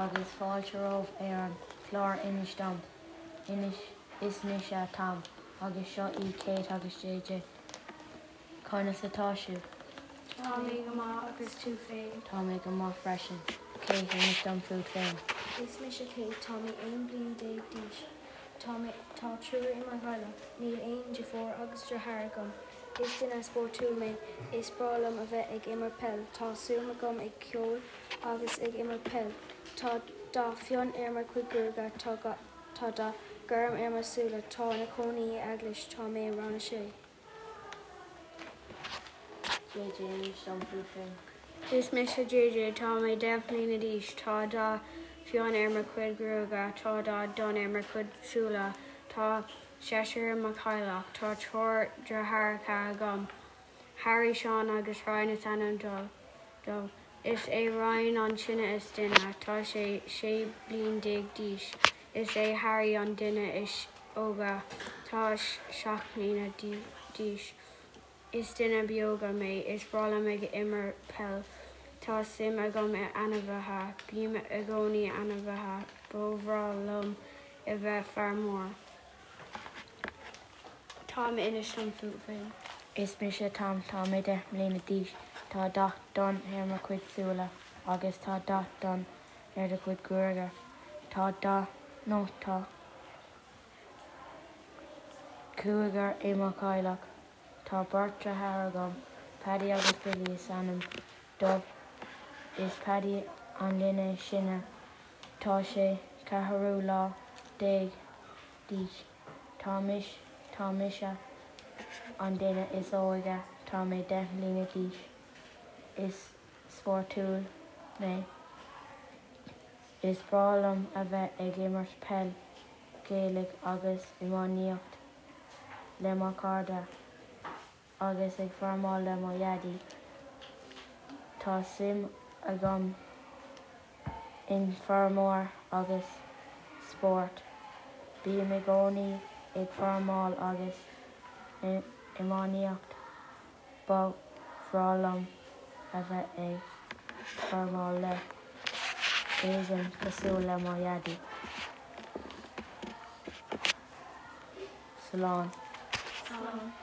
Agus fáilte romhaibh ar an chlár Inis Dom. Inis Is mise Tom agus seo í Kate agus JJ. Conas atá sibh? Tá mé go maith agus tú féin? Tá mé go maith freisin. Kate, inis dom fút féin. Is mise Kate, tá mé 11 bliain d'aois. Tá mé Tá triúr i mo theaghlach. Níl aon deirfiúr agus deartháir agam. Is duine spórtúil mé. Is breá liom a bheith ag imirt peil. Tá suim agam ag ceol agus ag imirt peil. Tá dath fionn ar mo chuid gruaige. Tá Tá dath gorm ar mo súile. Tá ina cónaí i Eaglais. Tá mé i rang a sé. JJ, Inis dom fút féin. Is mise JJ. Tá mé 10 mbliana d'aois. Tá dath fionn ar mo chuid gruaige. Tá dath donn ar mo chuid súile. Tá seisear i mo theaghlach. Tá triúr deartháireacha agam. Harry, Seán agus Ryan is ainm dóibh. Is é Ryan an duine is sine. Tá sé 16 bliain d'aois. Is é Harry an duine is óige. Tá 7 mbliana d'aois. Is duine beoga mé. Is breá liom ag imirt peil. Tá suim agam i ainmhithe. Bím i gcónaí ainmhithe. Ba bhreá liom a bheith feirmeoir. Tom, inis dom fút féin. Is mise Tom. Tá mé 10 mbliana d'aois. Tá dath donn ar mo chuid súile agus tá dath donn ar do chuid gruaige. Tá dath nó tá cúigear i mo theaghlach. Tá beirt deartháir agam, Paddy agus Billy is ainm dóibh. Is Paddy an duine is sine. Tá sé ceathrú lá déag d'aois. Tá mise tá mise an duine is óige. Tá mé 10 mbliana d'aois. Is spórtúil mé. Is breá liom a bheith ag imirt peil Gaeilge agus iománaíocht le mo chairde agus ag feirmeáil le mo dhaidí. Tá suim agam in feirmeoir agus spórt. Bím i gcónaí ag feirmeáil agus iománaíocht. Ba bhreá liom a bheith ag feirmeáil le éigin cosúil le mo dhaidí. Slán. Slán.